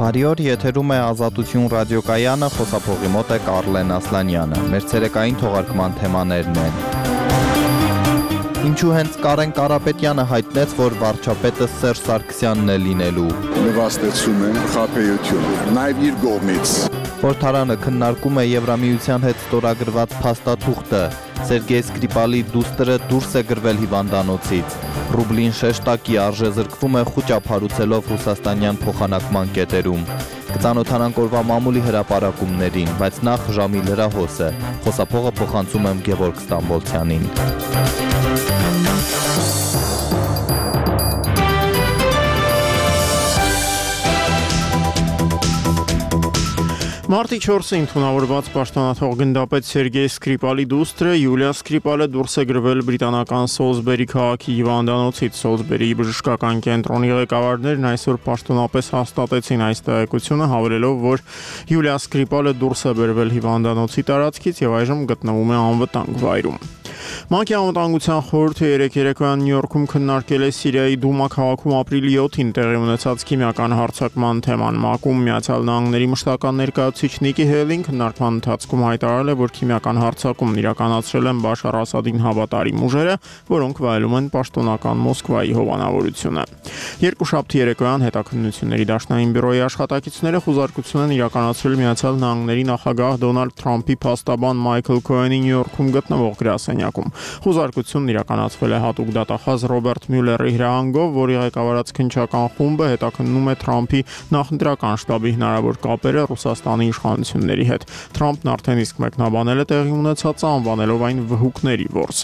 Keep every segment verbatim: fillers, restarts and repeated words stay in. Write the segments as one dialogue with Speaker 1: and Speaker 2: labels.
Speaker 1: Բարի օր, եթերում է Ազատություն ռադիոկայանը, խոսափողի մոտ է Կարլեն Ասլանյանը։ Մեր ցերեկային թողարկման թեմաներն են. Ինչու հենց Կարեն Կարապետյանը հայտնեց, որ վարչապետը Սերժ Սարգսյանն է լինելու։
Speaker 2: Նվաստեցում է խաբեությունը, նաև իր կողմից։
Speaker 1: Խորհրդարանը քննարկում է Եվրամիության հետ ստորագրված փաստաթուղթը։ Սերգեյ Սկրիպալի դուստրը դուրս է գրվել հիվանդանոցից։ Ռուբլին շեշտակի արժե զրկվում է խուճափառուցելով ռուսաստանյան փոխանակման կետերում։ Կծանոթանանք օրվա մամուլի հրապարակումներին, բայց նախ ժամի լրահոսը։ Խոսափողը փոխանցում եմ Գևորգ Ստամբոլցյանին։
Speaker 3: Մարտի չորսին ընդունավորված պաշտոնաթող գնդապետ Սերգեյ Սկրիպալի դուստրը Յուլիա Սկրիպալը դուրս է գրվել բրիտանական Սոլսբերի քաղաքի հիվանդանոցից։ Սոլսբերի բժշկական կենտրոնի ղեկավարներն այսօր պաշտոնապես հաստատեցին այս տեղեկությունը, հավելելով, որ Յուլիա Սկրիպալը դուրս է բերվել հիվանդանոցի տարածքից եւ այժմ գտնվում է անվտանգ վայրում։ ՄԱԿ-ի անվտանգության խորհուրդը երեկ երեկոյան Նյու Յորքում քննարկել է Սիրիայի Դումա քաղաքում ապրիլի յոթին տեղի ունեցած քիմիական հարձակման թեման։ ՄԱԿ-ում Միացյալ Նահանգների մշտական ներկայացուցիչ Նիկի Հեյլին քննարկման ընթացքում հայտարարել է, որ քիմիական հարձակումն իրականացրել են Բաշար Ասադին հավատարիմ ուժերը, որոնք վայելում են պաշտոնական Մոսկվայի հովանավորությունը։ Երկուշաբթի երեկոյան հետաքննությունների դաշնային բյուրոյի աշխատակիցները խուզարկություն են իրականացրել Միացյալ Նահանգների նախագահ Դոնալդ Թրամփի փաստաբան Մայքլ Քոենի Նյու Յորքում գտնվող գրասենյակում։ Խուզարկությունն իրականացվել է հատուկ դատախազ Ռոբերտ Մյուլլերի հրահանգով, որի ղեկավարած քննչական խումբը հետաքննում է Թրամփի նախընտրական շտաբի հնարավոր կապերը Ռուսաստանի իշխանությունների հետ։ Թրամփն արդեն իսկ մեկնաբանել է տեղի ունեցածը, անվանելով այն վհուկների որս։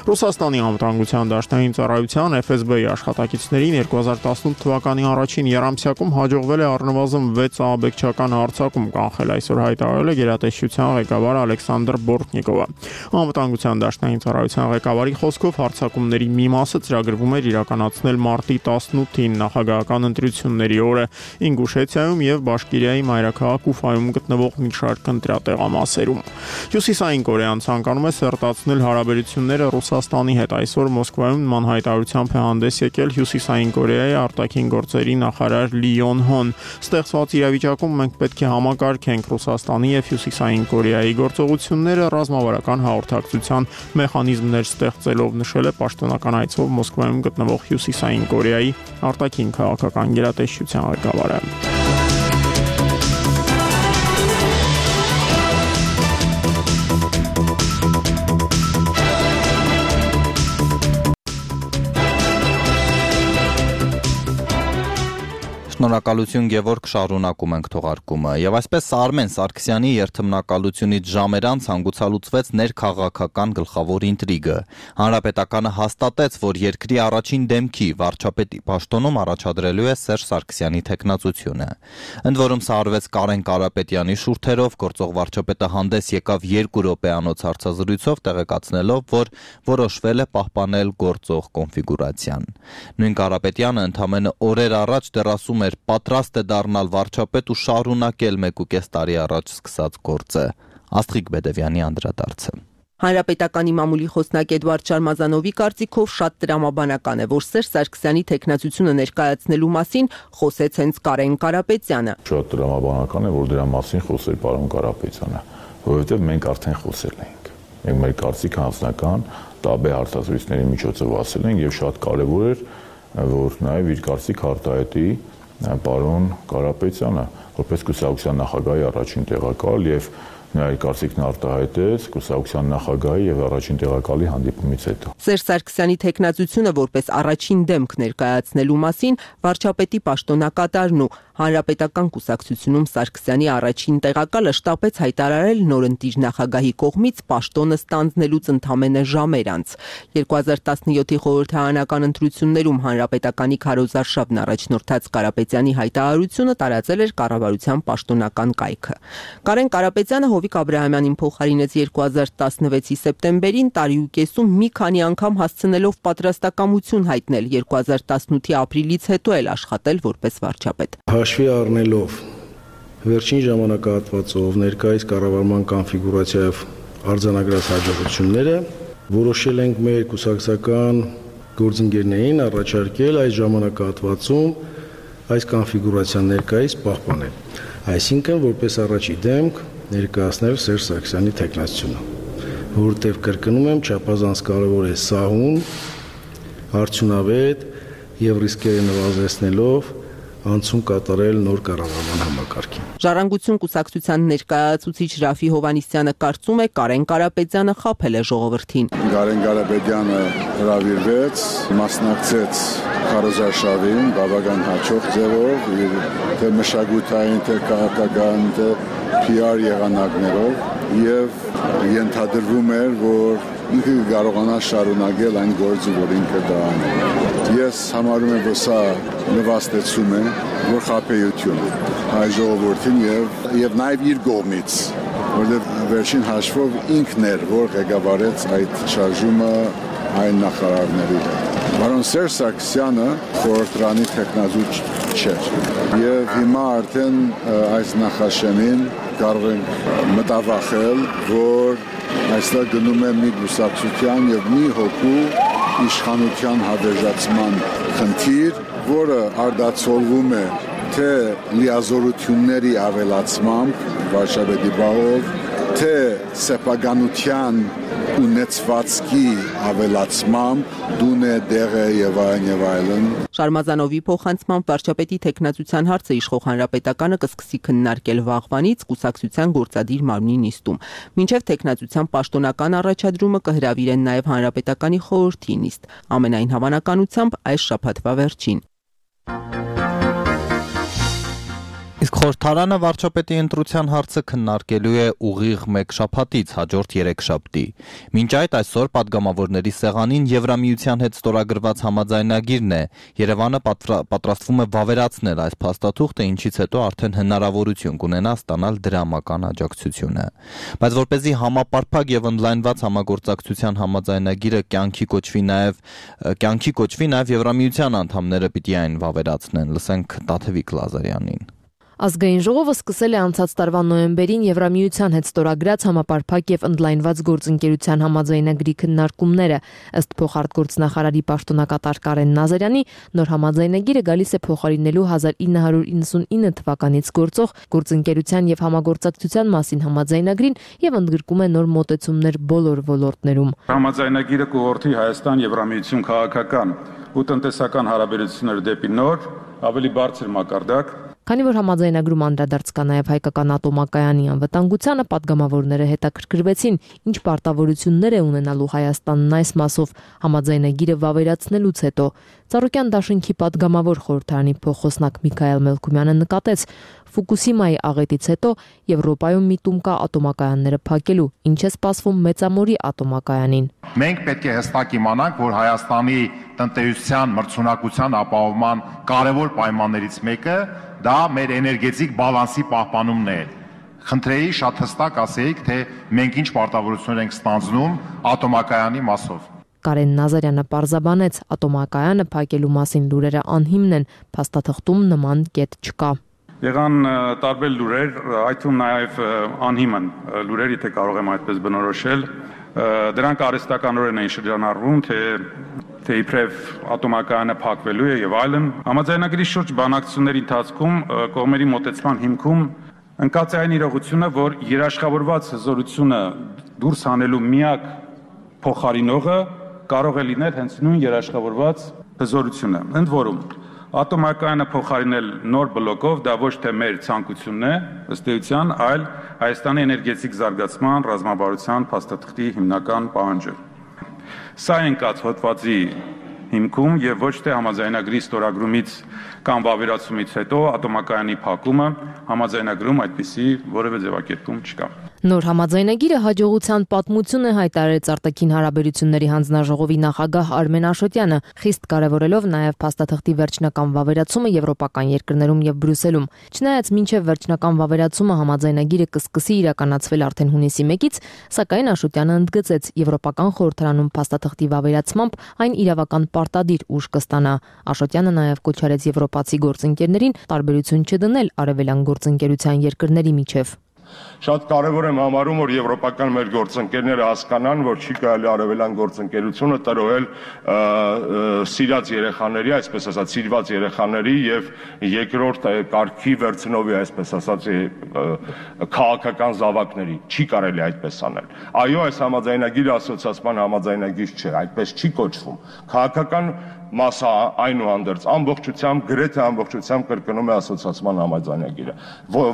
Speaker 3: Ռուսաստանի անվտանգության դաշնային ծառայության Էֆ Էս Բի աշխատակիցներին երկու հազար տասնութ թվականի առաջին եռամսյակում հաջողվել է առնվազն վեց ահաբեկչական հարձակում կանխել, այսօր հայտարարել է գերատեսչության ղեկավար Ալեքսանդր Բորտնիկովը։ Անվտանգության դաշնային ծառայության ղեկավարի խոսքով հարձակումների մի մասը ծրագրվում էր իրականացնել մարտի տասնութին նախագահական ընտրությունների օրը Ինգուշեցիայում եւ Բաշկիրիայի մայրաքաղաք Ուֆայում գտնվող մի շարք ընտրատեղամասերում։ Հյուսիսային Կորեան ցանկանում է սերտացնել հարաբերությունները Ռուսաստանի հետ։ Այսօր Մոսկվայում նման հայտարարությամբ է հանդես եկել Հյուսիսային Կորեայի արտաքին գործերի նախարար Լի Յոն Հոն։ Ստեղծված իրավիճակում մենք պետք է համակարգենք Ռուսաստանի եւ Հյուսիսային Կորեայի գործողությունները ռազմավարական հաղորդակցության մեխանիզմներ ստեղծելով, նշել է պաշտոնական այցով Մոսկվայում գտնվող Հյուսիսային Կորեայի արտաքին քաղաքական գերատեսչության ղեկավարը։
Speaker 1: Շնորհակալություն Գևորգ, շարունակում ենք թողարկումը։ Եվ այսպես Արմեն Սարգսյանի երթմնակալությունից ժամեր անց հանգուցալուծվեց ներքաղաքական գլխավոր ինտրիգը։ Հանրապետականը հաստատեց, որ երկրի առաջին դեմքի վարչապետի պաշտոնում առաջադրելու է Սերժ Սարգսյանի թեկնածությունը։ Ընդ որում սա արվեց Կարեն Կարապետյանի շուրթերով, գործող վարչապետը հանդես եկավ երկու րոպեանոց հարցազրույցով, տեղեկացնելով, որ որոշվել է պահպանել գործող կոնֆիգուրացիան։ Նույն Կարապետյանը ընդամենը օրեր առաջ դեռ ասում էր պատրաստ է դառնալ վարչապետ ու շարունակել մեկ ու կես տարի առաջ սկսած գործը։ Աստղիկ Բեդևյանի անդրադարձը։
Speaker 4: Հանրապետականի մամուլի խոսնակ Էդվարդ Շարմազանովի կարծիքով շատ տրամաբանական է, որ Սերժ Սարգսյանի թեկնածությունը ներկայացնելու մասին խոսեց հենց Կարեն Կարապետյանը։
Speaker 5: Շատ տրամաբանական է, որ դրա մասին խոսեր պարոն Կարապետյանը, որովհետև մենք արդեն խոսել ենք։ Մենք մեր կարծիքը անձնական տաբե հարցազրույցների միջոցով ասել ենք եւ շատ կարեւոր էր, որ նաեւ իր կարծիքը արտահայտի պարոն Կարապետյանը, որպես կուսակցության նախագահի առաջին տեղակալ եւ նրա կարծիքն արտահայտեց կուսակցության նախագահի եւ առաջին տեղակալի հանդիպումից հետո։
Speaker 4: Սերժ Սարգսյանի թեկնածությունը որպես առաջին դեմք ներկայացնելու մասին վարչապետի պաշտոնակատարն ու Հանրապետական կուսակցությունում Սարգսյանի առաջին տեղակալը շտապեց հայտարարել նորընտիր նախագահի կողմից պաշտոնը ստանձնելուց ընդամենը ժամեր անց։ երկու հազար տասնյոթի խորհրդարանական ընտրություններում Հանրապետականի քարոզարշավն առաջնորդած Կարապետյանի հայտարարությունը տարածել էր կառավարության պաշտոնական կայքը։ Կարեն Կարապետյանը Հովիկ Աբրահամյանին փոխարինեց երկու հազար տասնվեցի սեպտեմբերին, տարի ու կեսում մի քանի անգամ հասցնելով պատրաստակամություն հայտնել, երկու հազար տասնութի ապրիլից հետո էլ աշխատել որպես վարչապետ։
Speaker 6: Հաշվի առնելով վերջին ժամանակահատվածով ներկայիս կառավարման կոնֆիգուրացիայով արձանագրած հաջողությունները, որոշել ենք մեր կուսակցական գործընկերներին առաջարկել այս ժամանակահատվածում այս կոնֆիգուրացիան ներկայիս պահպանել։ Այսինքն, որպես առաջի դեմք ներկայացնել Սերժ Սարգսյանի թեկնածությունը, որտեղ կրկնում եմ, չափազանց կարևոր է սահուն, արդյունավետ եւ ռիսկերը նվազեցնելով անցում կատարել նոր կառավարման համակարգին։
Speaker 4: Ժառանգություն կուսակցության ներկայացուցիչ Ռաֆի Հովհաննիսյանը կարծում է Կարեն Կարապետյանը խաբել է ժողովրդին։
Speaker 2: Կարեն Կարապետյանը հրավիրվեց, մասնակցեց քարոզարշավին բավական հաջող ձևով, իր թե մշակութային, թե քաղաքական, թե P R եղանակներով եւ ենթադրվում էր, որ ինքը կարողանա շարունակել այն գործը, որ ինքը դա անում։ Ես համարում եմ, որ սա նվաստեցում է, որ խաբեություն է հայ ժողովրդին եւ եւ նաեւ իր կողմից, որովհետեւ վերջին հաշվով ինքն էր, որ ղեկավարեց այդ շարժումը այն նախարարների հետ։ Պարոն Սերժ Սարգսյանը խորհրդարանի տեխնազու չէր եւ հիմա արդեն այս նախաշեմին կարող ենք մտավախել, որ այստեղ գնում է մի գուսակցության եւ մի հոգու իշխանության հավերժացման խնդիր, որը արդացոլվում է թե լիազորությունների ավելացմամբ վարչապետի բաղով, թե սեփականության ունեցվածքի ավելացմամբ, դունե դեղը եւ այլն եւ այլն։
Speaker 4: Շարմազանովի փոխանցմամբ վարչապետի տեխնացության հարցը իշխող հանրապետականը կսկսի քննարկել վաղվանից կուսակցության գործադիր մարմնի նիստում։ Մինչև տեխնացության պաշտոնական առաջադրումը կհրավիրեն նաև հանրապետականի խորհրդի նիստ, ամենայն հավանականությամբ այս շաբաթվա վերջին։
Speaker 1: Իսկ խորհրդարանը վարչապետի ընտրության հարցը քննարկելու է ուղիղ մեկ շաբաթից հաջորդ երեքշաբթի։ Մինչ այդ այսօր падգամավորների սեղանին Եվրամիության հետ ստորագրված համաձայնագիրն է։ Երևանը պատրաստվում է վավերացնել այս փաստաթուղթը, ինչից հետո արդեն հնարավորություն կունենա ստանալ դրամական աջակցությունը։ Բայց որպեսզի համապարփակ եւ ընդլայնված համագործակցության համաձայնագիրը կյանքի կոչվի նաեւ կյանքի կոչվի նաեւ Եվրամիության անդամները պիտի այն վավերացնեն։ Լսենք Տաթևիկ Լազարյանին։
Speaker 7: Ազգային ժողովը սկսել է անցած տարվա նոյեմբերին Եվրամիության հետ ստորագրած համապարփակ եւ ընդլայնված գործընկերության համաձայնագրի քննարկումները, ըստ փոխարտգործնախարարի պաշտոնակատար Կարեն Նազարյանի, նոր համաձայնագիրը գալիս է փոխարինելու հազար ինը հարյուր իննսունինը թվականից գործող գործընկերության եւ համագործակցության մասին համաձայնագրին եւ ընդգրկում է նոր մոտեցումներ բոլոր ոլորտներում։
Speaker 8: Համաձայնագիրը կուղղորդի Հայաստան Եվրամիություն քաղաքական ու տնտեսական հարաբերությունները դեպի նոր, ավելի բարձր մակարդակ։
Speaker 7: Քանի որ համաձայնագրում անդրադարձ կա նաև հայկական ատոմակայանի անվտանգությանը, падգամավորները հետաքրքրվեցին, ինչ պարտավորություններ է ունենալու Հայաստանն այս մասով համաձայնագիրը վավերացնելուց հետո։ Ծառուկյան դաշինքի падգամավոր խորհրդարանի փոխոսնակ Միքայել Մելքումյանը նկատեց, Ֆուկուսիմայի աղետից հետո Եվրոպայում միտում կա ատոմակայանները փակելու, ինչ է սպասվում Մեծամորի ատոմակայանին։
Speaker 9: Մենք պետք է հստակ իմանանք, որ Հայաստանի տնտեսության մրցունակության ապահովման կարևոր պայմաններից մեկը դա մեր էներգետիկ բալանսի պահպանումն է։ Խնդրեի շատ հստակ ասեիք, թե մենք ինչ պարտավորություններ ենք ստանձնում ատոմակայանի մասով։
Speaker 7: Կարեն Նազարյանը պարզաբանեց, ատոմակայանը փակելու մասին լուրերը անհիմն են, փաստաթղթում նման կետ չկա։
Speaker 8: Եղան տարբեր լուրեր, այդ թվում նաև անհիմն լուրեր, եթե կարող եմ այդպես բնորոշել, դրանք արհեստականորեն են շրջանառվում, թե թե իբրև ատոմակայանը փակվելու է եւ այլն։ Համաձայնագրի շուրջ բանակցությունների ընթացքում կողմերի մոտեցման հիմքում ընկած է այն իրողությունը, որ երաշխավորված հզորությունը դուրս հանելու միակ փոխարինողը կարող է լինել հենց նույն երաշխավորված հզորությունը։ Ընդ որում, ատոմակայանը փոխարինել նոր բլոկով դա ոչ թե մեր ցանկությունն է, ըստ էության, այլ Հայաստանի էներգետիկ զարգացման ռազմավարության փաստաթղթի հիմնական պահանջը։ Սա ընկած հոդվածի հիմքում եւ ոչ թե համաձայնագրի ստորագրումից կամ վավերացումից հետո ատոմակայանի փակումը համաձայնագրում այդպիսի որևէ ձևակերպում չկա։
Speaker 7: Նոր համաձայնագիրը հաջողության պատմություն է հայտարարեց արտաքին հարաբերությունների հանձնաժողովի նախագահ Արմեն Աշոտյանը, խիստ կարևորելով նաև փաստաթղթի վերջնական վավերացումը եվրոպական երկրներում եւ Բրյուսելում։ Չնայած մինչև վերջնական վավերացումը համաձայնագիրը կսկսի իրականացվել արդեն հունիսի մեկից, սակայն Աշոտյանը ընդգծեց, եվրոպական խորհրդարանում փաստաթղթի վավերացմամբ այն իրավական պարտադիր ուժ կստանա։ Աշոտյանը նաև կոչ արեց եվրոպացի գործընկերներին տարբերություն չդնել արևելյան գործընկերության երկրների միջև։
Speaker 10: Շատ կարևոր եմ համարում, որ եվրոպական մեր գործընկերները հասկանան, որ չի կարելի արևելյան գործընկերությունը տրոհել սիրած երեխաների, այսպես ասած, սիրված երեխաների եւ երկրորդ կարգի վերցնովի, այսպես ասած, քաղաքական զավակների։ Չի կարելի այդպես անել։ Այո, այս համաձայնագիրը ասոցիացման համաձայնագիր չէ, այդպես չի կոչվում։ Քաղաքական մասը այնուհանդերձ ամբողջությամբ գրեթե ամբողջությամբ կրկնում է ասոցիացման համաձայնագիրը։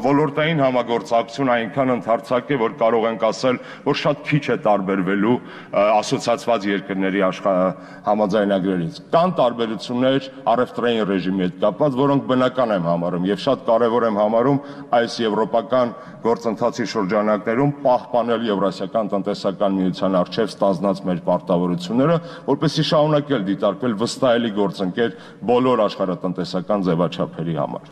Speaker 10: Ոլորտային համագործակցություն այնքան ընդարձակ է, որ կարող ենք ասել, որ շատ քիչ է տարբերվելու ասոցիացված երկրների համաձայնագրերից։ Կան տարբերություններ առևտրային ռեժիմի հետ կապված, որոնք բնական եմ համարում եւ շատ կարեւոր եմ համարում այս եվրոպական գործընթացի շրջանակներում պահպանել Եվրասիական տնտեսական միության առջև ստանձնած մեր պարտավորությունները, որպեսզի շարունակել դիտարկվել վստահելի գործընկեր բոլոր աշխարհատնտեսական ձևաչափերի համար։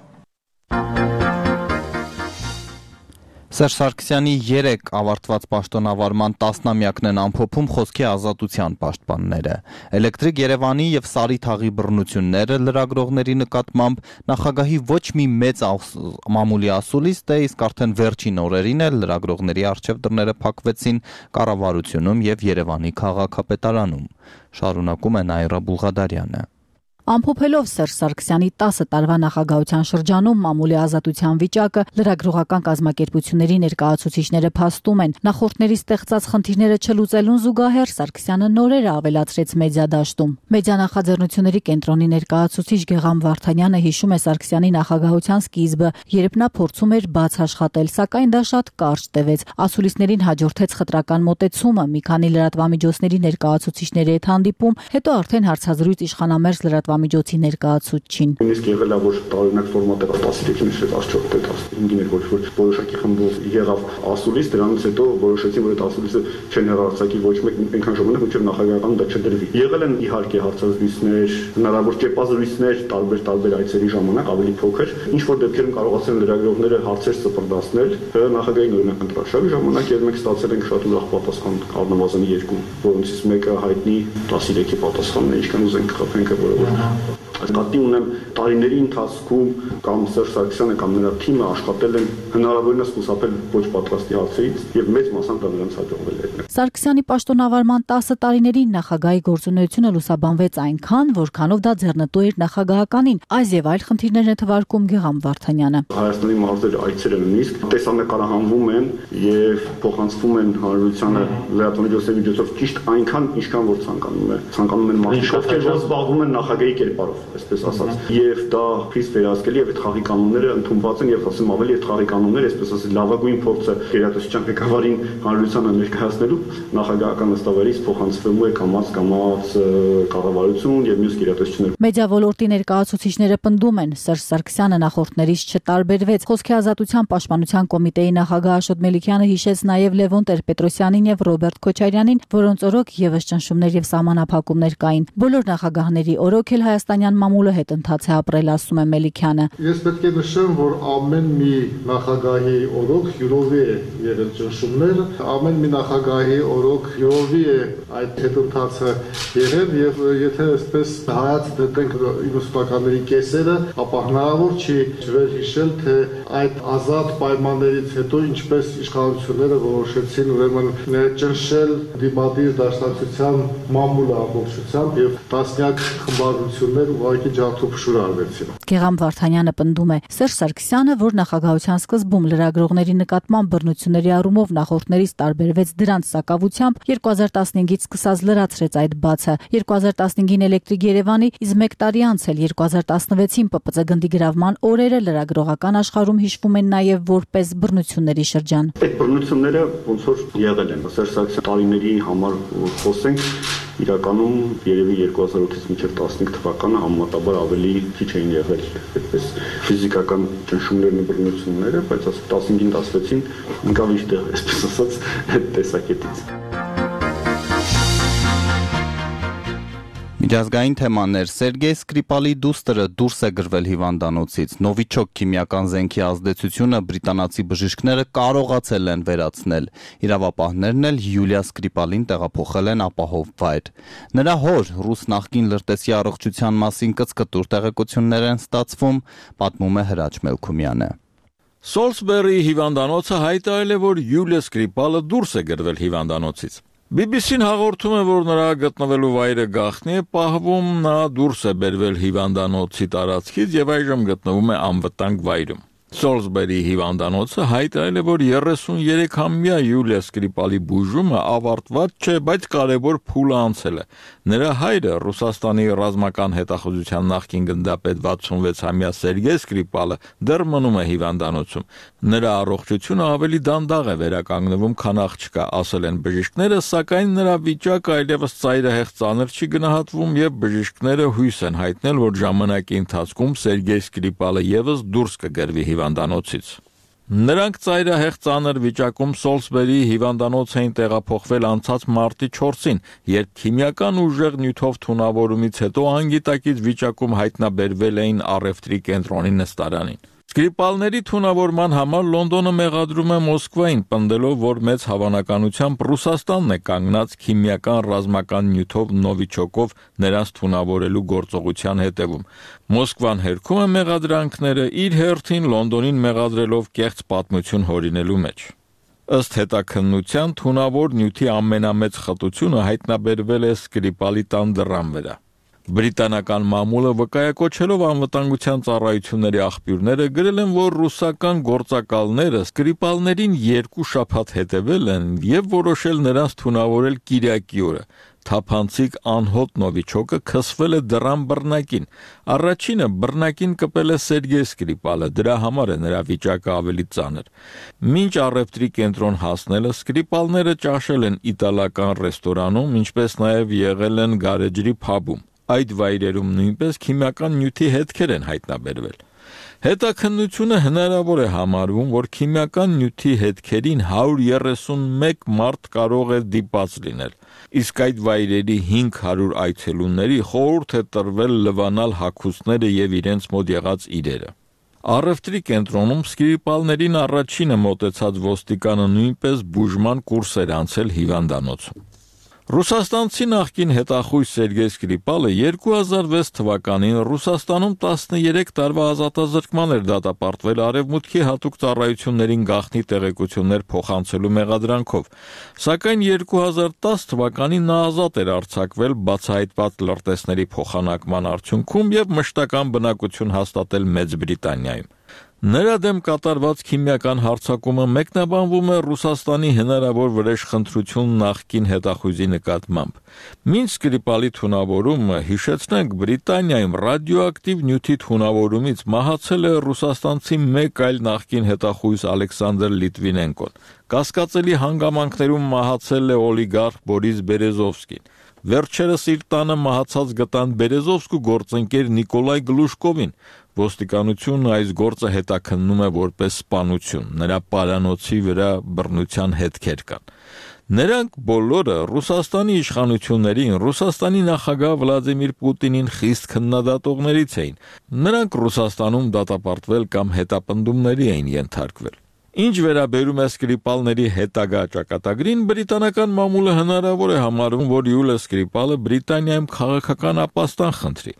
Speaker 1: Սերժ Սարգսյանի երեք ավարտված պաշտոնավարման տասնամյակն են ամփոփում խոսքի ազատության պաշտպանները։ Էլեկտրիկ Երևանի եւ Սարի թաղի բռնությունները լրագրողների նկատմամբ նախագահի ոչ մի մեծ մամուլի ասուլիստ է, իսկ արդեն վերջին օրերին էլ լրագրողների առջև դռները փակվեցին կառավարությունում եւ Երևանի քաղաքապետարանում։ Շարունակում է Նաիրա Բուլղադարյանը։
Speaker 11: Ամփոփելով Սերժ Սարգսյանի տասը տարվա նախագահության շրջանում մամուլի ազատության վիճակը, լրագրողական կազմակերպությունների ներկայացուցիչները փաստում են, նախորդների ստեղծած խնդիրները չլուծելուն զուգահեռ Սարգսյանը նորերը ավելացրեց մեդիադաշտում։ Մեդիա նախաձեռնությունների կենտրոնի ներկայացուցիչ Գեգամ Վարդանյանը հիշում է Սարգսյանի նախագահության սկիզբը, երբ նա փորձում էր բաց աշխատել, սակայն դա շատ կարճ տևեց։ Ասուլիսներին հաջորդեց խտրական մոտեցումը, մի քանի լրատվամիջոցների ներկայացուցիչների հետ հանդիպում, հետո արդեն հարցազրույց իշխանամերձ լրատվամիջոցի ներկայացուցչին։
Speaker 12: Նույնիսկ եղել է, որ տարօրինակ ֆորմատը տասնյոթին էր, տասնչորսը, տասնհինգին էր, որ որոշակի խմբով եղավ ասուլիս, դրանից հետո որոշեցին, որ այդ ասուլիսը չեն հեռարձակի ոչ մեկ այնքան ժամանակ, մինչև նախագահական դա չդրվի։ Եղել են իհարկե հարցազրույցներ, հնարավոր ճեպազրույցներ տարբեր տարբեր այցերի ժամանակ ավելի փոքր, ինչ որ դեպքերում կարողացել են լրագրողները հարցեր սպրդացնել նախագահային օրինակ ընտրաշարի ժամանակ, եւ մենք ստացել ենք շատ ուրախ պատասխան, առնվազն երկու, որոնցից մեկը հայտնի տասներեքի պատասխանն է, ինչքան ուզենք խփենք, որը Կատի ունեմ տարիների ընթացքում կամ Սերժ Սարգսյանը կամ նրա թիմը աշխատել են հնարավորինս խուսափել ոչ պատրաստի հարցերից եւ մեծ մասամբ դա նրանց հաջողվել է։
Speaker 11: Սարգսյանի պաշտոնավարման տասը տարիներին նախագահի գործունեությունը լուսաբանվեց այնքան, որքանով դա ձեռնտու էր նախագահականին, այս եւ այլ խնդիրներ է թվարկում Գեգամ Վարդանյանը։
Speaker 12: Հայաստանի մարզերը այցերը նույնիսկ տեսանկարահանվում են եւ փոխանցվում են հանրությանը լրատվամիջոցների միջոցով ճիշտ այնքան, ինչքան որ ցանկանում է։ Ցանկանում են մարդիկ, ովքեր զբաղվում են նախագահի կերպարով, այսպես ասած, եւ դա խիստ վերահսկելի եւ այդ խաղի կանոնները ընդունված են եւ ասեմ ավելի այդ խաղի կանոնները, այսպես ասած, լավագույն փորձը գերատեսչության ղեկավարին հանրությանը ներկայացնելու նախագահական նստավարից փոխանցվելու է կամած կամած կառավարություն եւ մյուս գերատեսչություններ։
Speaker 11: Մեդիա ոլորտի ներկայացուցիչները պնդում են, Սերժ Սարգսյանը նախորդներից չտարբերվեց։ Խոսքի ազատության պաշտպանության կոմիտեի նախագահ Աշոտ Մելիքյանը հիշեց նաեւ Լևոն Տեր-Պետրոսյանին եւ Ռոբերտ Քոչարյանին, որոնց օրոք եւս ճնշումներ եւ սահմանափակումներ կային։ Բոլոր նախագահների օրոք էլ հայաստանյան մամուլը հետ ընթաց է ապրել, ասում է Մելիքյանը։
Speaker 13: Ես պետք է նշեմ, որ ամեն մի նախագահի օրոք յուրովի է եղել ճնշումներ, ամեն մի նախագահի օրոք յուրովի է այդ հետընթացը եղել եւ եթե այսպես հայաց դնենք իննսուտականների կեսերը, ապա հնարավոր չի չվերհիշել, թե այդ ազատ պայմաններից հետո ինչպես իշխանությունները որոշեցին ուրեմն ճնշել դիմադիր դաշնակցության մամուլը ամբողջությամբ եւ տասնյակ խմբավորություններ ուղղակի ջարդուփշուր արվեցին։
Speaker 11: Գեգամ Վարդանյանը պնդում է, Սերժ Սարգսյանը, որ նախագահության սկզբում լրագրողների նկատմամբ բռնությունների առումով նախորդներից տարբերվեց դրանց սակավությամբ, երկու հազար տասնհինգից սկսած լրացրեց այդ բացը։ երկու հազար տասնհինգին Էլեկտրիկ Երևանի, իսկ մեկ տարի անց էլ երկու հազար տասնվեցին Պ Պ Ծ գնդի գրավման օրերը լրագրողական աշխարհում հիշվում են նաեւ որպես բռնությունների շրջան։
Speaker 12: Այդ բռնությունները ոնց որ եղել են Սերժ Սարգսյանի տարիների համար խոսենք, իրականում երևի երկու հազար ութից մինչև տասնհինգ թվականը համեմատաբար ավելի քիչ էին եղել այդպես ֆիզիկական ճնշումներն ու բռնությունները, բայց տասնհինգին տասնվեցին ընկավ իր տեղը, այսպես ասած, այդ տեսակետից։
Speaker 1: Միջազգային թեմաներ Սերգեյ Սկրիպալի դուստրը դուրս է գրվել հիվանդանոցից։ Նովիչոկ քիմիական զենքի ազդեցությունը բրիտանացի բժիշկները կարողացել են վերացնել։ Իրավապահներն էլ Յուլիա Սկրիպալին տեղափոխել են ապահով վայր։ Նրա հոր ռուս նախկին լրտեսի առողջության մասին կծկտուր տեղեկություններ են ստացվում, պատմում է Հրաչ Մելքումյանը։
Speaker 14: Սոլսբերի հիվանդանոցը հայտարարել է, որ Յուլիա Սկրիպալը դուրս է գրվել հիվանդանոցից։ բի բի սին հաղորդում է, որ նրա գտնվելու վայրը գաղտնի է պահվում, նա դուրս է բերվել հիվանդանոցի տարածքից եւ այժմ գտնվում է անվտանգ վայրում։ Սոլսբերի հիվանդանոցը հայտարարել է, որ երեսուներեքամյա Յուլիա Սկրիպալի բուժումը ավարտված չէ, բայց կարևոր փուլ անցել է։ Նրա հայրը Ռուսաստանի ռազմական հետախուզության նախկին գնդապետ վաթսունվեցամյա Սերգեյ Սկրիպալը դեռ մնում է հիվանդանոցում։ Նրա առողջությունը ավելի դանդաղ է վերականգնվում, քան աղջկա, ասել են բժիշկները, սակայն նրա վիճակը այլևս ծայրահեղ ծանր չի գնահատվում եւ բժիշկները հույս են հայտնել, որ ժամանակի ընթացքում Սերգեյ Սկրիպալը եւս դուրս կգրվի հիվանդանոցից։ Նրանք ծայրահեղ ծանր վիճակում Սոլսբերի հիվանդանոց էին տեղափոխվել անցած մարտի չորսին, երբ քիմիական ուժեղ նյութով թունավորումից հետո անգիտակից վիճակում հայտնաբերվել էին առևտրի կենտրոնի նստարանին։ Սկրիպալների թունավորման համար Լոնդոնը մեղադրում է Մոսկվային, պնդելով, որ մեծ հավանականությամբ Ռուսաստանն է կանգնած քիմիական ռազմական նյութով նովիչոկով նրանց թունավորելու գործողության հետևում։ Մոսկվան հերքում է մեղադրանքները, իր հերթին Լոնդոնին մեղադրելով կեղծ պատմություն հորինելու մեջ։ Ըստ հետաքննության թունավոր նյութի ամենամեծ խտությունը հայտնաբերվել է Սկրիպալի տան դռան վրա։ Բրիտանական մամուլը վկայակոչելով անվտանգության ծառայությունների աղբյուրները գրել են, որ ռուսական գործակալները Սկրիպալներին երկու շաբաթ հետևել են եւ որոշել նրանց թունավորել կիրակի օրը։ Թափանցիկ անհոտ նովիչոկը քսվել է դռան բռնակին։ Առաջինը բռնակին կպել է Սերգեյ Սկրիպալը, դրա համար է նրա վիճակը ավելի ծանր։ Մինչ առևտրի կենտրոն հասնելը Սկրիպալները ճաշել են իտալական ռեստորանում, ինչպես նաեւ եղել են գարեջրի փաբում։ Այդ վայրերում նույնպես քիմիական նյութի հետքեր են հայտնաբերվել։ Հետաքննությունը հնարավոր է համարվում, որ քիմիական նյութի հետքերին հարյուր երեսունմեկ մարդ կարող է դիպած լինել, իսկ այդ վայրերի հինգ հարյուր այցելուների խորհուրդ է տրվել լվանալ հագուստները եւ իրենց մոտ եղած իրերը։ Առևտրի կենտրոնում Սկրիպալներին առաջինը մոտեցած ոստիկանը նույնպես բուժման կուրս էր անցել հիվանդանոցում։ Ռուսաստանցի նախկին հետախույզ Սերգեյ Սկրիպալը երկու հազար վեց թվականին Ռուսաստանում տասներեք տարվա ազատազրկման էր դատապարտվել արևմուտքի հատուկ ծառայություններին գաղտնի տեղեկություններ փոխանցելու մեղադրանքով, սակայն երկու հազար տաս թվականին նա ազատ էր արձակվել բացահայտված լրտեսների փոխանակման արդյունքում եւ մշտական բնակություն հաստատել Մեծ Բրիտանիայում։ Նրա դեմ կատարված քիմիական հարձակումը մեկնաբանվում է Ռուսաստանի հնարավոր վրեժխնդրություն նախկին հետախույզի նկատմամբ։ Մինչ Սկրիպալի թունավորումը, հիշեցնենք, Բրիտանիայում ռադիոակտիվ նյութի թունավորումից մահացել է ռուսաստանցի մեկ այլ նախկին հետախույզ Ալեքսանդր Լիտվինենկոն։ Կասկածելի հանգամանքներում մահացել է օլիգարխ Բորիս Բերեզովսկին։ Վերջերս իր տանը մահացած գտան Բերեզովսկու գործընկեր Նիկոլայ Գլուշկովին։ Ոստիկանությունը այս գործը հետաքննում է որպես սպանություն, նրա պարանոցի վրա բռնության հետքեր կան։ Նրանք բոլորը Ռուսաստանի իշխանություններին, Ռուսաստանի նախագահ Վլադիմիր Պուտինին խիստ քննադատողներից էին։ Նրանք Ռուսաստանում դատապարտվել կամ հետապնդումների էին ենթարկվել։ Ինչ վերաբերում է Սկրիպալների հետագա ճակատագրին, բրիտանական մամուլը հնարավոր է համարում, որ Յուլիա Սկրիպալը Բրիտանիայում քաղաքական ապաստան խնդրի։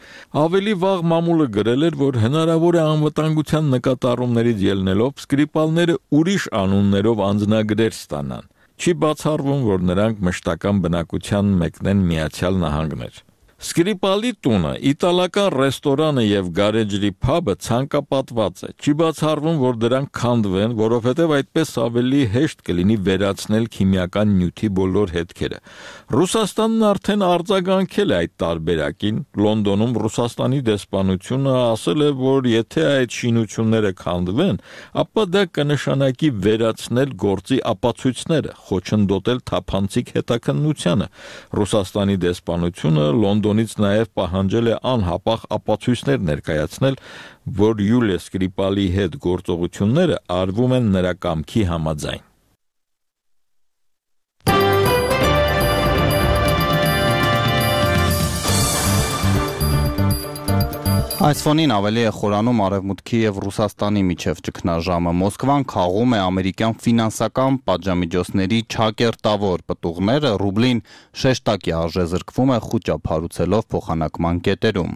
Speaker 14: Ավելի վաղ մամուլը գրել էր, որ հնարավոր է անվտանգության նկատառումներից ելնելով Սկրիպալները ուրիշ անուններով անձնագրեր ստանան։ Չի բացառվում, որ նրանք մշտական բնակության մեկնեն Միացյալ Նահանգներ։ Սկրիպալի տունը, իտալական ռեստորանը եւ գարեջրի փաբը ցանկապատված է։ Չի բացառվում, որ դրանք քանդվեն, որովհետեւ այդպես ավելի հեշտ կլինի վերացնել քիմիական նյութի բոլոր հետքերը։ Ռուսաստանն արդեն արձագանքել է այդ տարբերակին։ Լոնդոնում Ռուսաստանի դեսպանությունը ասել է, որ եթե այդ շինությունները քանդվեն, ապա դա կնշանակի վերացնել գործի ապացույցները, խոչընդոտել թափանցիկ հետաքննությանը։ Ռուսաստանի դեսպանությունը Լոնդոն Լոնդոնից նաև պահանջել է անհապաղ ապացույցներ ներկայացնել, որ Յուլիա Սկրիպալի հետ գործողությունները արվում են նրա կամքի համաձայն։
Speaker 1: Այս ֆոնին ավելի է խորանում Արևմուտքի եւ Ռուսաստանի միջև ճգնաժամը։ Մոսկվան քաղում է ամերիկյան ֆինանսական պատժամիջոցների չակերտավոր պտուղները, ռուբլին շեշտակի արժեզրկվում է խուճապ հարուցելով փոխանակման կետերում։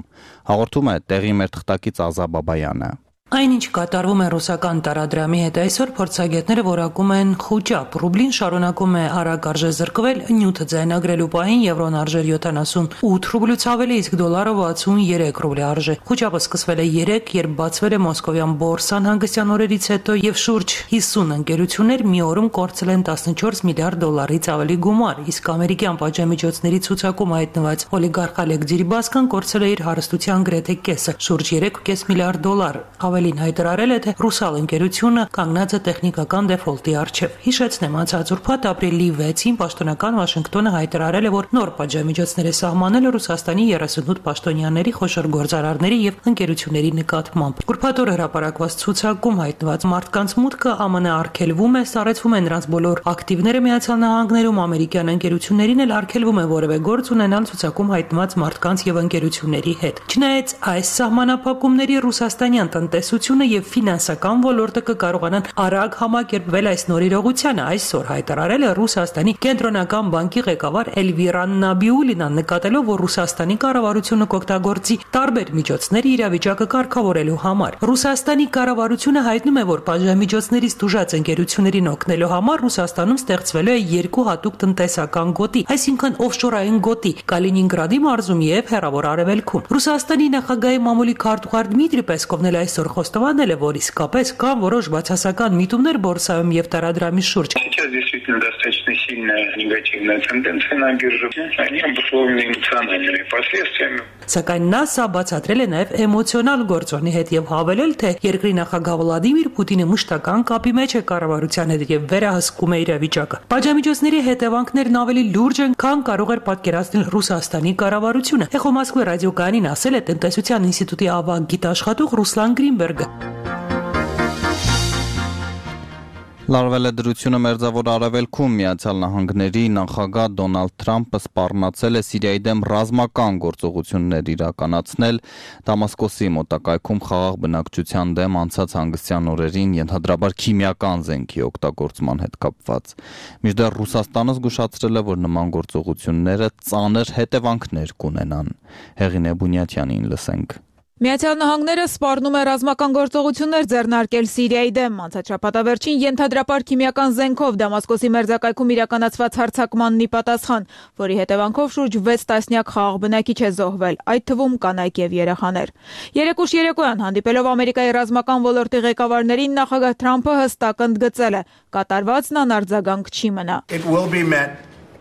Speaker 1: Հաղորդում է տեղի մեր թղթակից Ազա Բաբայանը։
Speaker 15: Այնինչ կատարվում է ռուսական տարադրամի հետ այսօր փորձագետները որակում են խուճապ։ Ռուբլին շարունակում է արագ արժե զրկվել, նյութը ձայնագրելու պահին եվրոն արժեր յոթանասունութ ռուբլուց ավելի, իսկ դոլարը վաթսունյերեք ռուբլի արժե։ Խուճապը սկսվել է երեկ, երբ բացվել է Մոսկովյան բորսան հանգստյան օրերից հետո եւ շուրջ հիսուն ընկերություններ մի օրում կորցրել են տասնչորս միլիարդ դոլարից ավելի գումար, իսկ ամերիկյան պատժամիջոցների ցուցակում հայտնված օլիգարխ Ալեք Ջիրիբասկան կորցրել է իր հարստության գրեթե կեսը, շուրջ երեք կես միլիարդ դոլար։ Ավելին հայտարարել է, թե ռուսալ ընկերությունը կանգնած է տեխնիկական դեֆոլտի առջև։ Հիշեցնեմ, անցած ուրբաթ ապրիլի վեցին պաշտոնական Վաշինգտոնը հայտարարել է, որ նոր պատժամիջոցներ է սահմանել Ռուսաստանի երեսունութ պաշտոնյաների, խոշոր գործարարների եւ ընկերությունների նկատմամբ։ Ուրբաթ օր հրապարակված ցուցակում հայտնված մարդկանց մուտքը ԱՄՆ արգելվում է, սառեցվում է նրանց բոլոր ակտիվները Միացյալ Նահանգներում, ամերիկյան ընկերություններին էլ արգելվում է որևէ գործ ունենալ ցուցակում հայտնված մարդկանց եւ ընկերությունների հետ։ Չնայած այս սահմանափակումների ռուսաստանյան տնտեսությունը եւ ֆինանսական ոլորտը կկարողանան արագ համակերպվել այս նոր իրողությանը, այսօր հայտարարել է Ռուսաստանի կենտրոնական բանկի ղեկավար Էլվիրա Նաբիուլինան, նկատելով, որ Ռուսաստանի կառավարությունը կօգտագործի տարբեր միջոցներ իրավիճակը կարգավորելու համար։ Ռուսաստանի կառավարությունը հայտնում է, որ պատժամիջոցներից տուժած ընկերություններին օգնելու համար Ռուսաստանում ստեղծվելու է երկու հատուկ տնտեսական գոտի, այսինքն օֆշորային գոտի Կալինինգրադի մարզում եւ Հեռավոր Արևելքում։ Ռուսաստանի նախագահի մամուլի քարտուղար Դմիտրի Պեսկովն էլ այսօր խոստովանել է, որ իսկապես կան որոշ բացասական միտումներ բորսայում եւ տարադրամի շուրջ։
Speaker 16: Действительно достаточно сильная негативная тенденция на бирже. Они обусловлены эмоциональными последствиями.
Speaker 15: Սակայն նա սա բացատրել է նաև էմոցիոնալ գործոնի հետ եւ հավելել, թե երկրի նախագահ Վլադիմիր Պուտինը մշտական կապի մեջ է կառավարության հետ եւ վերահսկում է իրավիճակը։ Պատժամիջոցների հետևանքներն ավելի լուրջ են, քան կարող էր պատկերացնել Ռուսաստանի կառավարությունը։ Էխո Մոսկվա ռադիոկայանին ասել է տնտեսության ինստիտուտի ավագ գիտաշխատող Ռուսլան Գրինբերգը։
Speaker 1: Լարվել է դրությունը Մերձավոր Արևելքում։ Միացյալ Նահանգների նախագահ Դոնալդ Թրամփը սպառնացել է Սիրիայի դեմ ռազմական գործողություններ իրականացնել Դամասկոսի մոտակայքում խաղաղ բնակչության դեմ անցած հանգստյան օրերին ենթադրաբար քիմիական զենքի օգտագործման հետ կապված։ Մինչդեռ Ռուսաստանը զգուշացրել է, որ նման գործողությունները ծանր հետևանքներ կունենան։ Հեղինե Բունյատյանին լսենք։
Speaker 17: Միացյալ Նահանգները սպառնում է ռազմական գործողություններ ձեռնարկել Սիրիայի դեմ։ Անցած շաբաթավերջին ենթադրաբար քիմիական զենքով Դամասկոսի մերձակայքում իրականացված հարձակմանն ի պատասխան, որի հետևանքով շուրջ վեց տասնյակ խաղաղ բնակիչ է զոհվել, այդ թվում կանայք եւ երեխաներ։ Երեկուշ երեկոյան հանդիպելով Ամերիկայի ռազմական ոլորտի ղեկավարներին, նախագահ Թրամփը հստակ ընդգծել է. կատարվածն անարձագանք չի մնա։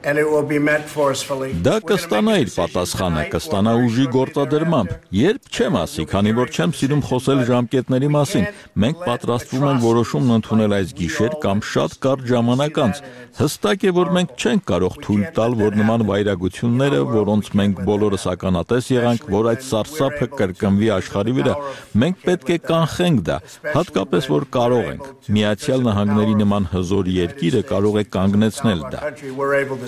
Speaker 14: Դա կստանա իր պատասխանը, կստանա ուժի գործադրմամբ։ Երբ չեմ ասի, քանի որ չեմ սիրում խոսել ժամկետների մասին, մենք պատրաստվում ենք որոշումն ընդունել այս գիշեր կամ շատ կարճ ժամանակ անց։ Հստակ է, որ մենք չենք կարող թույլ տալ, որ նման վայրագությունները, որոնց մենք բոլորս ականատես եղանք, որ այդ սարսափը կրկնվի աշխարհի վրա, մենք պետք է կանխենք դա, հատկապես որ կարող ենք։ Միացյալ Նահանգների նման հզոր երկիրը կարող է կանգնեցնել դա։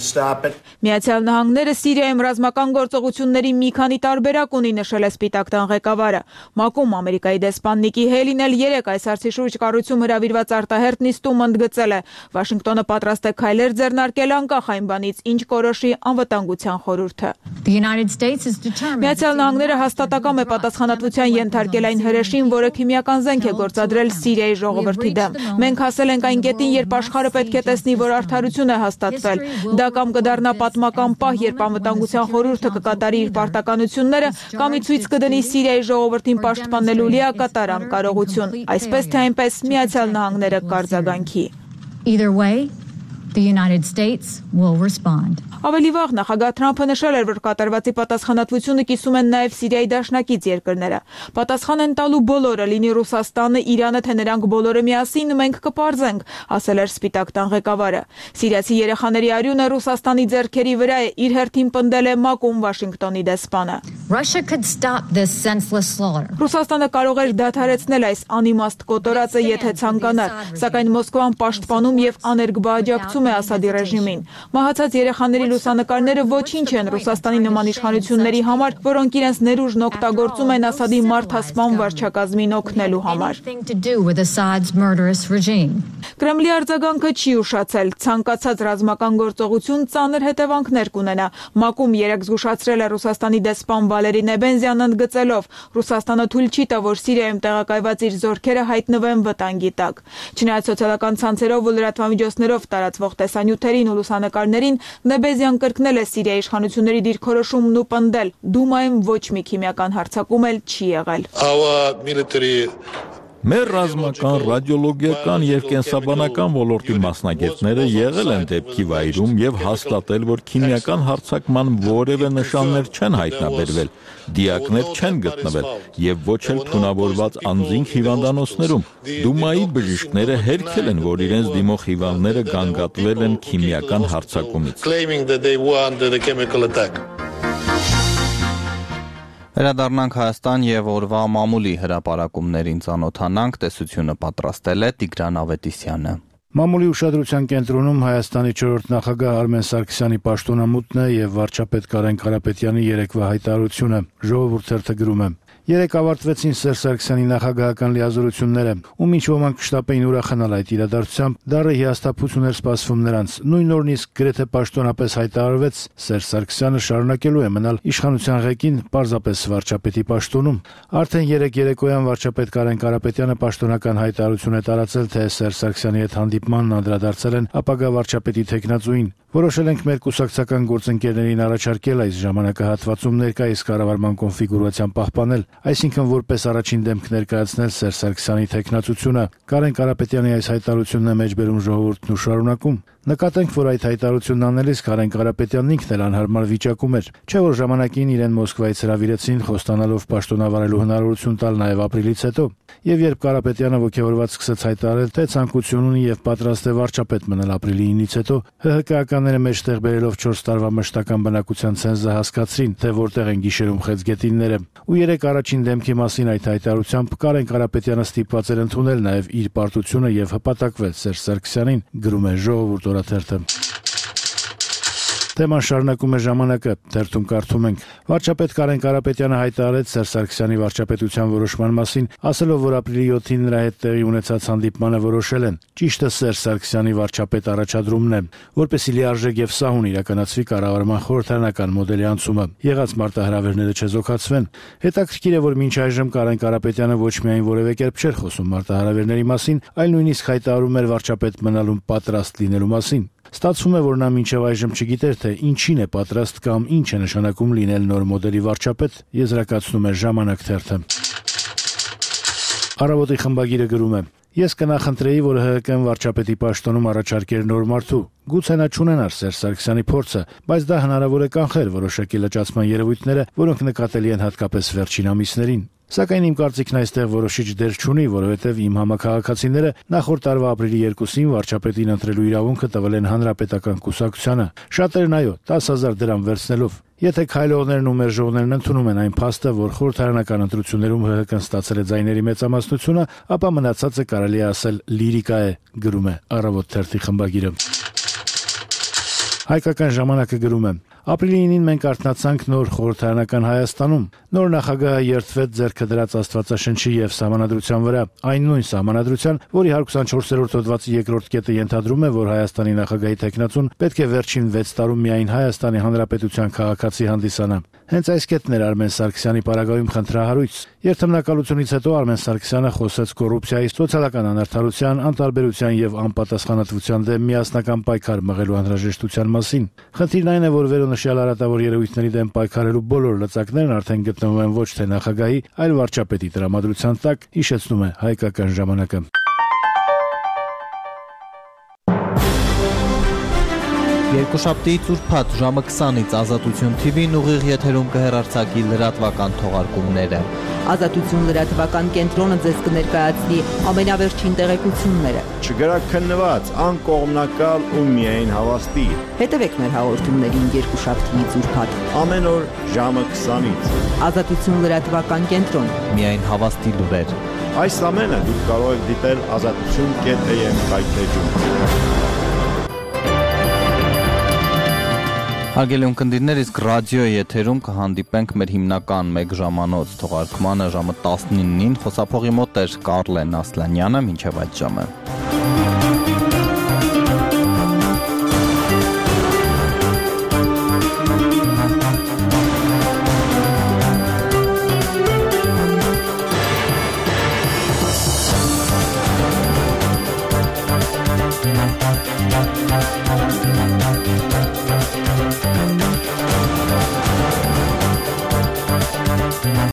Speaker 17: Միացյալ Նահանգները Սիրիայում ռազմական գործողությունների մի քանի տարբերակ ունի, նշել է Սպիտակ տան ղեկավարը։ ՄԱԿ-ում Ամերիկայի դեսպան Նիկի Հեյլին էլ երեկ այս հարցի շուրջ կառույցում հրավիրված արտահերթ նիստում ընդգծել է. Վաշինգտոնը պատրաստ է քայլեր ձեռնարկել անկախ այն բանից, ինչ կորոշի անվտանգության խորհուրդը։ Միացյալ Նահանգները հաստատակամ է պատասխանատվության ենթարկել այն հրեշին, որը քիմիական զենք է գործադրել Սիրիայի ժողովրդի դեմ։ Մենք հասել ենք այն կետին, երբ աշխարհը պետք է տեսնի, որ արդարություն է հաստատվել։ Դա կամ կդառնա պատմական պահ, երբ անվտանգության խորհուրդը կկատարի իր պարտականությունները, կամ ի ցույց կդնի Սիրիայի ժողովրդին պաշտպանելու լիակատար անկարողություն, այսպես թե այնպես Միացյալ Նահանգները կարձագանքի։
Speaker 18: Either way, the United States will respond.
Speaker 17: Ավելի վաղ նախագահ Թրամփը նշել էր, որ կատարվածի պատասխանատվությունը կիսում են նաև Սիրիայի դաշնակից երկրները։ Պատասխան են տալու բոլորը, լինի Ռուսաստանը, Իրանը, թե նրանք բոլորը միասին, մենք կպարզենք, ասել էր Սպիտակ տան ղեկավարը։ Սիրիացի երեխաների արյունը Ռուսաստանի ձեռքերի վրա է, իր հերթին պնդել է ՄԱԿ-ում Վաշինգտոնի դեսպանը։ Ռուսաստանը կարող էր դադարեցնել այս անիմաստ կոտորածը, եթե ցանկանար, սակայն Մոսկվան պաշտպանում եւ աներկբա աջակցում ասում է Ասադի ռեժիմին։ Մահացած երեխաների լուսանկարները ոչինչ են Ռուսաստանի նման իշխանությունների համար, որոնք իրենց ներուժն օգտագործում են Ասադի մարդասպան վարչակազմին օգնելու համար։ Կրեմլի արձագանքը չի ուշացել, ցանկացած ռազմական գործողություն ծանր հետևանքներ կունենա։ ՄԱԿ-ում երեկ զգուշացրել է Ռուսաստանի դեսպան Վալերի Նեբենզյանն ընդգծելով. Ռուսաստանը թույլ չի տա, որ Սիրիայում տեղակայված իր զորքերը հայտնվեն վտանգի տակ։ Չնայած սոցիալական ցանցերով ու լրատվամիջոցներով տարածվող տեսանյութերին ու լուսանկարներին, Նեբենզյան կրկնել է Սիրիայի իշխանությունների դիրքորոշումն ու պնդել. Դումայում ոչ մի քիմիական հարձակում էլ չի եղել։
Speaker 14: Մեր ռազմական, ռադիոլոգիական եւ կենսաբանական ոլորտի մասնագետները եղել են դեպքի վայրում եւ հաստատել, որ քիմիական հարձակման որևէ նշաններ չեն հայտնաբերվել, դիակներ չեն գտնվել եւ ոչ էլ թունավորված անձինք հիվանդանոցներում։ Դումայի բժիշկները հերքել են, որ իրենց դիմող հիվանդները գանգատվել են քիմիական հարձակումից։
Speaker 1: Վերադառնանք Հայաստան եւ օրվա մամուլի հրապարակումներին ծանոթանանք, տեսությունը պատրաստել է Տիգրան Ավետիսյանը։
Speaker 19: Մամուլի ուշադրության կենտրոնում Հայաստանի չորրորդ նախագահ Արմեն Սարգսյանի պաշտոնամուտն է եւ վարչապետ Կարեն Կարապետյանի երեկվա հայտարարությունը։ Ժողովուրդ թերթը գրում է. Երեկ ավարտվեցին Սերժ Սարգսյանի նախագահական լիազորությունները, ում ինչ ոմանք կշտապեին ուրախանալ այդ իրադարձությամբ, դառը հիասթափություն էր սպասվում նրանց։ Նույն օրն իսկ գրեթե պաշտոնապես հայտարարվեց Սերժ Սարգսյանը շարունակելու է մնալ իշխանության ղեկին պարզապես վարչապետի պաշտոնում։ Արդեն երեկ երեկոյան վարչապետ Կարեն Կարապետյանը պաշտոնական հայտարարություն է տարածել, թե Սերժ Սարգսյանի հետ հանդիպմանն անդրադարձել են ապագա վարչապետի թեկնածուին։ Որոշել ենք մեր կուսակցական գործընկերներին առաջարկել այս ժամանակահատվածում ներկայիս կառավարման կոնֆիգուրացիան պահպանել, այսինքն որպես առաջին դեմք ներկայացնել Սերժ Սարգսյանի թեկնածությունը։ Կարեն Կարապետյանի այս հայտարարությունն է մեջբերում ժողովուրդն ու շարունակում. Նկատենք, որ այդ հայտարարությունն անելիս Կարեն Կարապետյանն ինքն էլ անհարմար վիճակում էր, չէ՞ որ ժամանակին իրեն Մոսկվայից հրավիրեցին խոստանալով պաշտոնավարելու հնարավորություն տալ նաև ապրիլից հետո, եւ երբ Կարապետյանը ոգևորված սկսեց հայտարարել, թե ցանկություն ունի եւ պատրաստ է վարչապետ մնալ ապրիլի ինից հետո, ՀՀԿ-ականները մեջտեղ բերելով չորս տարվա մշտական բնակության ցենզը հասկացրին, թե որտեղ են գիշերում խեցգետինները։ Ու երեք առաջին դեմքի մասին այդ հայտարարությամբ Կարեն Կարապետյանը ստիպված էր ընդունել նաև իր պարտությունը եւ հպատակվել Սերժ Սարգսյանին, գրում է Ժողովուրդ օրաթերթը։ Թեման շարունակում է ժամանակը, թերթում կարդում ենք. Վարչապետ Կարեն Կարապետյանը հայտարարեց Սերժ Սարգսյանի վարչապետության որոշման մասին, ասելով, որ ապրիլի յոթին նրա հետ տեղի ունեցած հանդիպմանը որոշել են։ Ճիշտը Սերժ Սարգսյանի վարչապետ առաջադրումն է, որպեսզի լիարժեք եւ սահուն իրականացվի կառավարման խորհրդարանական մոդելի անցումը։ Եղած մարտահրավերները չեզոքացվեն։ Հետաքրքիր է, որ մինչ այժմ Կարեն Կարապետյանը ոչ միայն որևէ կերպ չէր խոսում մարտահրավերների մասին, այլ նույնիսկ հայտարարում էր վարչապետ մնալուն պատրաստ լինելու մասին։ Ստացվում է, որ նա մինչև այժմ չգիտեր, թե ինչին է պատրաստ կամ ինչ է նշանակում լինել նոր մոդելի վարչապետ, եզրակացնում է Ժամանակ թերթը։ Առավոտի խմբագիրը գրում է. Ես կնախընտրեի, որ ՀՀԿ-ն վարչապետի պաշտոնում առաջարկեր նոր մարդու։ Գուցե նա չունենար Սերժ Սարգսյանի փորձը, բայց դա հնարավոր է կանխել որոշակի լճացման երևույթները, որոնք նկատելի են հատկապես վերջին ամիսներին։ Սակայն իմ կարծիքն այստեղ որոշիչ դեր չունի, որովհետև իմ համակարգացիները նախորդ տարվա ապրիլի երկուսին վարչապետին ընտրելու իրավունքը տվել են Հանրապետական կուսակցությանը։ Շատերն այո, տասը հազար դրամ վերցնելով։ Եթե քայլողներն ու մերժողներն ընդունում են այն փաստը, որ խորհրդարանական ընտրություններում ՀՀԿ-ն ստացել է ձայների մեծամասնությունը, ապա մնացածը կարելի է ասել լիրիկա է, գրում է Առավոտ թերթի խմբագիրը։ Հայկական ժամանակը գրում է. Ապրիլի ինին մենք արթնացանք նոր խորհրդարանական Հայաստանում։ Նոր նախագահը երդվեց ձեռքը դրած Աստվածաշնչի եւ Սահմանադրության վրա, այն նույն Սահմանադրության, որի հարկուսանչորսերորդ հոդվածի երկրորդ կետը ենթադրում է, որ Հայաստանի նախագահի թեկնածուն պետք է վերջին վեց տարում միայն Հայաստանի Հանրապետության քաղաքացի հանդիսանա։ Հենց այս կետն էր Արմեն Սարգսյանի պարագայում խնդրահարույց։ Երթմնակալությունից հետո Արմեն Սարգսյանը խոսեց կոռուպցիայի, սոցիալական անարդարության, անտարբերության եւ անպատասխանատվության դեմ միասնական պայքար մղելու անհրաժեշտության մասին։ Խնդիրն այն է, որ վերոնշյալ արատավոր երևույթների դեմ պայքարելու բոլոր լծակներն արդեն գտնվում են ոչ թե նախագահի, այլ վարչապետի տրամադրության տակ, հիշեցնում է Հայկական ժամանակը։
Speaker 1: Երկուշաբթիից ուրբաթ ժամը քսանից Ազատություն թի վին ուղիղ եթերում կհեռարձակի լրատվական թողարկումները։
Speaker 4: Ազատություն լրատվական կենտրոնը ձեզ կներկայացնի ամենավերջին տեղեկությունները։
Speaker 20: Չգրաքննված, անկողմնակալ ու միայն հավաստի։
Speaker 4: Հետևեք մեր հաղորդումներին երկուշաբթիից ուրբաթ
Speaker 20: ամեն օր ժամը քսանից։
Speaker 4: Ազատություն լրատվական կենտրոն։
Speaker 1: Միայն հավաստի լուրեր։
Speaker 20: Այս ամենը դուք կարող եք դիտել ազատություն կետ էմ հայտնեջում։
Speaker 1: Հարգելի ունկնդիրներ, իսկ ռադիոյի եթերում կհանդիպենք մեր հիմնական մեկ ժամանոց թողարկմանը ժամը տասնինին, խոսափողի մոտ էր Կարլեն Ասլանյանը, մինչև այդ ժամը։